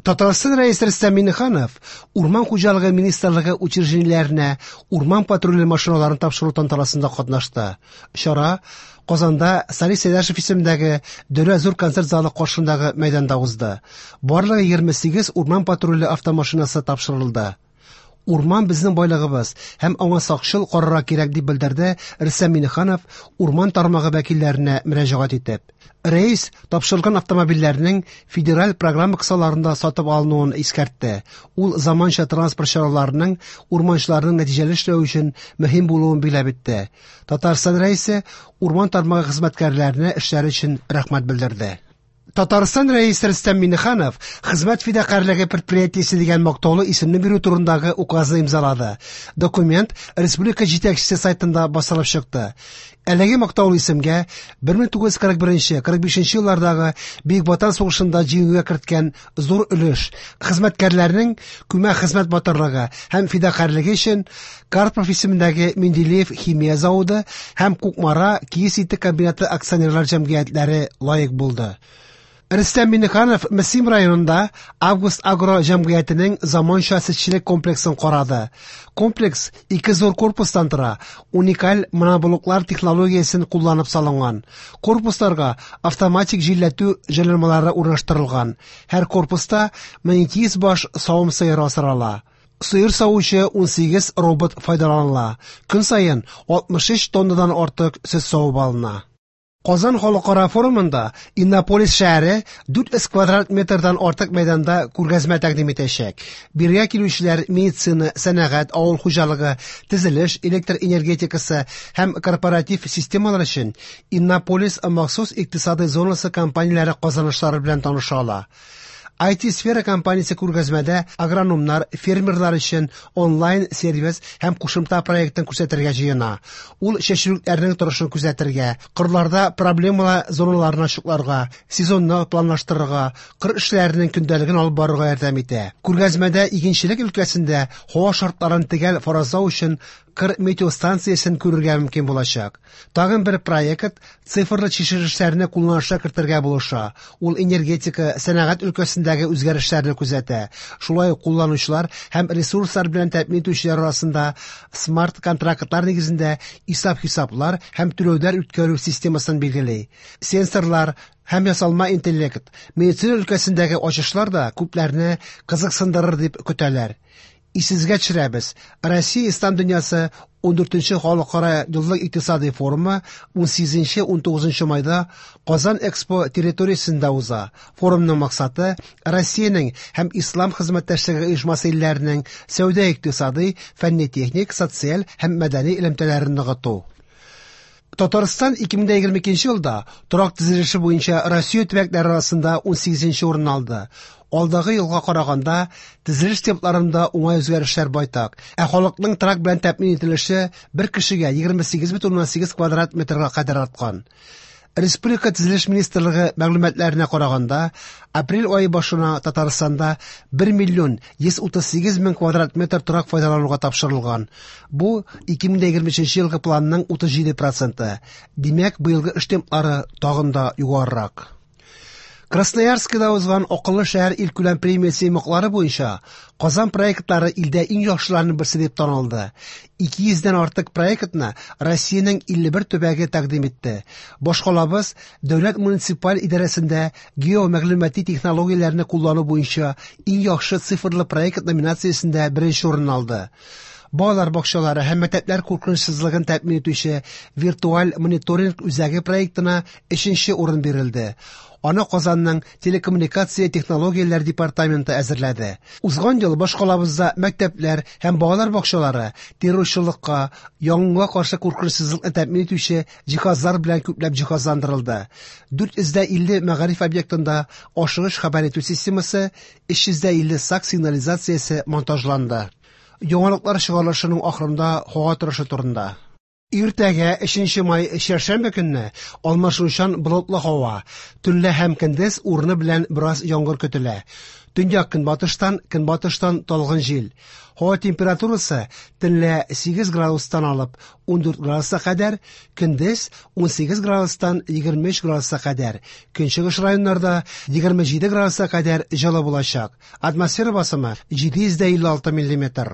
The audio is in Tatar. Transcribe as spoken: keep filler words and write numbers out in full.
Татарстан Рәисе Рөстәм Миңнеханов Урман хуҗалыгы министрлыгы учреждениеләренә урман патруле машиналарын тапшыру тантанасында катнашты. Чара Казанда Салих Сәйдәшев исемендәге Дәүләт зур концерт залы каршындагы мәйданда узды. Барлыгы егерме сигез урман патруле автомашинасы тапшырылды. Урман безнең байлыгыбыз һәм аңа сакчыл карарга кирәк, дип белдерде Рөстәм Миңнеханов урман тармагы вәкилләренә мөрәҗәгать итеп. Рәис тапшырылган автомобильләрнең федераль программа кысаларында сатып алынуын искәртте. Ул заманча транспорт чараларының урманчыларның нәтиҗәле эшләве өчен мөһим булуын билгеләп үтте. Татарстан Рәисе урман тармагы хезмәткәрләренә эшләре өчен рәхмәт белдерде. Татарстан Рәисе Рөстәм Миңнеханов Хезмәт фидакарьлеге предприятиесе дигән мактаулы исемне бирү турындагы указны имзалады. Документ республика җитәкчесе сайтында басылып чыкты. Әлеге мактаулы исемгә бер мең тугыз йөз кырык беренче, кырык бишенче еллардагы Бөек Ватан сугышында җиңүгә керткән зур өлеш, хезмәткәрләрнең күмәк хезмәт батырлыгы һәм фидакарьлеге өчен Карпов исемендәге Менделеев химия заводы һәм Кукмара киез итек комбинаты акционерлар җәмгыятьләре лаек булды. Рөстәм Миңнеханов Мөслим районында Август Агро җәмгыятенең заманча сөтчелек комплексын карады. Комплекс ике зур корпустан тора, уникаль моноблоклар технологиясен кулланып салынган. Корпусларга автоматик җилләтү җайланмалары урнаштырылган. Һәр корпуста мең ике йөз баш савым сыеры асрала. Сыер савучы ун сигез робот файдаланыла. Көн саен алтмыш өч тоннадан артык сөт савып алына. Казан халыкара форумында Иннополис шәһәре дүрт йөз квадрат метрдан артык мәйданда күргәзмә тәкъдим итәчәк. Биргә килүчеләр медицина, сәнәгать, авыл хуҗалыгы, төзелеш, электр энергетикасы һәм корпоратив системалар өчен Иннополис махсус икътисадый зонасы компанияләре казанышлары белән таныша ала. ай ти-сфера компаниясе күргәзмәдә агрономнар, фермерлар өчен онлайн-сервис һәм кушымта проектын күрсәтергә җыена. Ул чәчүлекләрнең торышын күзәтергә, кырларда проблемалы зоналарны ачыкларга, сезонны планлаштырырга, кыр эшләренең көндәлеген алып барырга ярдәм итә. Күргәзмәдә игенчелек өлкәсендә һава шартларын төгәл фаразлау өчен кыр метеостанциясен күрергә мөмкин булачак. Тагын бер проект цифрлы чишелешләрне кулланышка кертергә булыша. Ул энергетика, сәнәгать өлкәсендәге үзгәрешләрне күзәтә. Шулай ук кулланучылар һәм ресурслар белән тәэмин итүчеләр арасында смарт-контрактлар нигезендә исәп-хисаплар һәм түләүләр үткәрү системасын билгели. Сенсорлар һәм ясалма интеллект, медицина өлкәсендәге ачышлар да күпләрне кызыксындырыр дип көтәләр. Исегезгә төшерәбез, Россия Ислам дөньясы ун дүртенче халыкара еллык икътисадый форумы ун сигезенче ун тугызынчы майда Казан Экспо территориясендә уза. Форумның максаты Россиянең һәм Ислам хезмәттәшлеге оешмасы илләренең сәүдә-икътисадый, фәнни-техник, социаль һәм мәдәни элемтәләрен ныгыту. Татарстан ике мең егерме икенче елда торак төзелеше буенча Россия төбәкләре арасында ун сигезенче урын алды. Алдагы елга караганда төзелеш темпларында уңай үзгәрешләр байтак. Ә халыкның торак белән тәэмин ителеше бер кешегә егерме сигез бөтен уннан сигез квадрат метрга кадәр арткан. Республика Төзелеш министрлыгы мәгълүматларына караганда, апрель ае башына Татарстанда бер миллион йөз утыз сигез мең квадрат метр торак файдалануга тапшырылган. Бу ике мең егерме өченче елгы планның утыз җиде проценты. Димәк, быелгы эш темплары тагын да югарырак. Красноярскида узган Акыллы шәһәр илкүләм премиясе йомгаклары буенча Казан проектлары илдә иң яхшыларының берсе дип танылды. Ике йөздән артык проектны Россиянең илле бер төбәге тәкъдим итте. Башкалабыз дәүләт муниципаль идарәсендә геомәгълүмати технологияләрне куллану буенча иң яхшы цифрлы проект номинациясендә беренче урын алды. Балалар бакчалары һәм мәктәпләр куркынычсызлыгын тәэмин итүче виртуаль мониторинг үзәге проектына өченче урын бирелде. Аны Казанның телекоммуникация технологияләр департаменты әзерләде. Узган ел башкалабызда мәктәпләр һәм балалар бакчалары террорчылыкка, янгынга каршы куркынычсызлыкны тәэмин итүче җиһазлар белән күпләп җиһазландырылды. Дүрт йөз дә илле мәгариф объектында ашыгыч хәбәр итү системасы, өч йөз дә илле сак сигнализациясе монтажланды. Яңалыклар чыгарылышының ахырында һава торышы турында. Иртәгә өченче май чәршәмбе көнне алмашынучан болытлы һава, төнлә һәм көндез урыны белән бераз яңгыр көтелә. Төньяк-көнбатыштан, көнбатыштан талгын җил. Һава температурасы төнлә сигез градустан алып ундүрт градуска кадәр, көндез унсигез градустан егерме өч градуска кадәр. Көнчыгыш районнарда егерме җиде градуска кадәр җылы булачак. Атмосфера басымы җиде йөз дә илле алты миллиметр.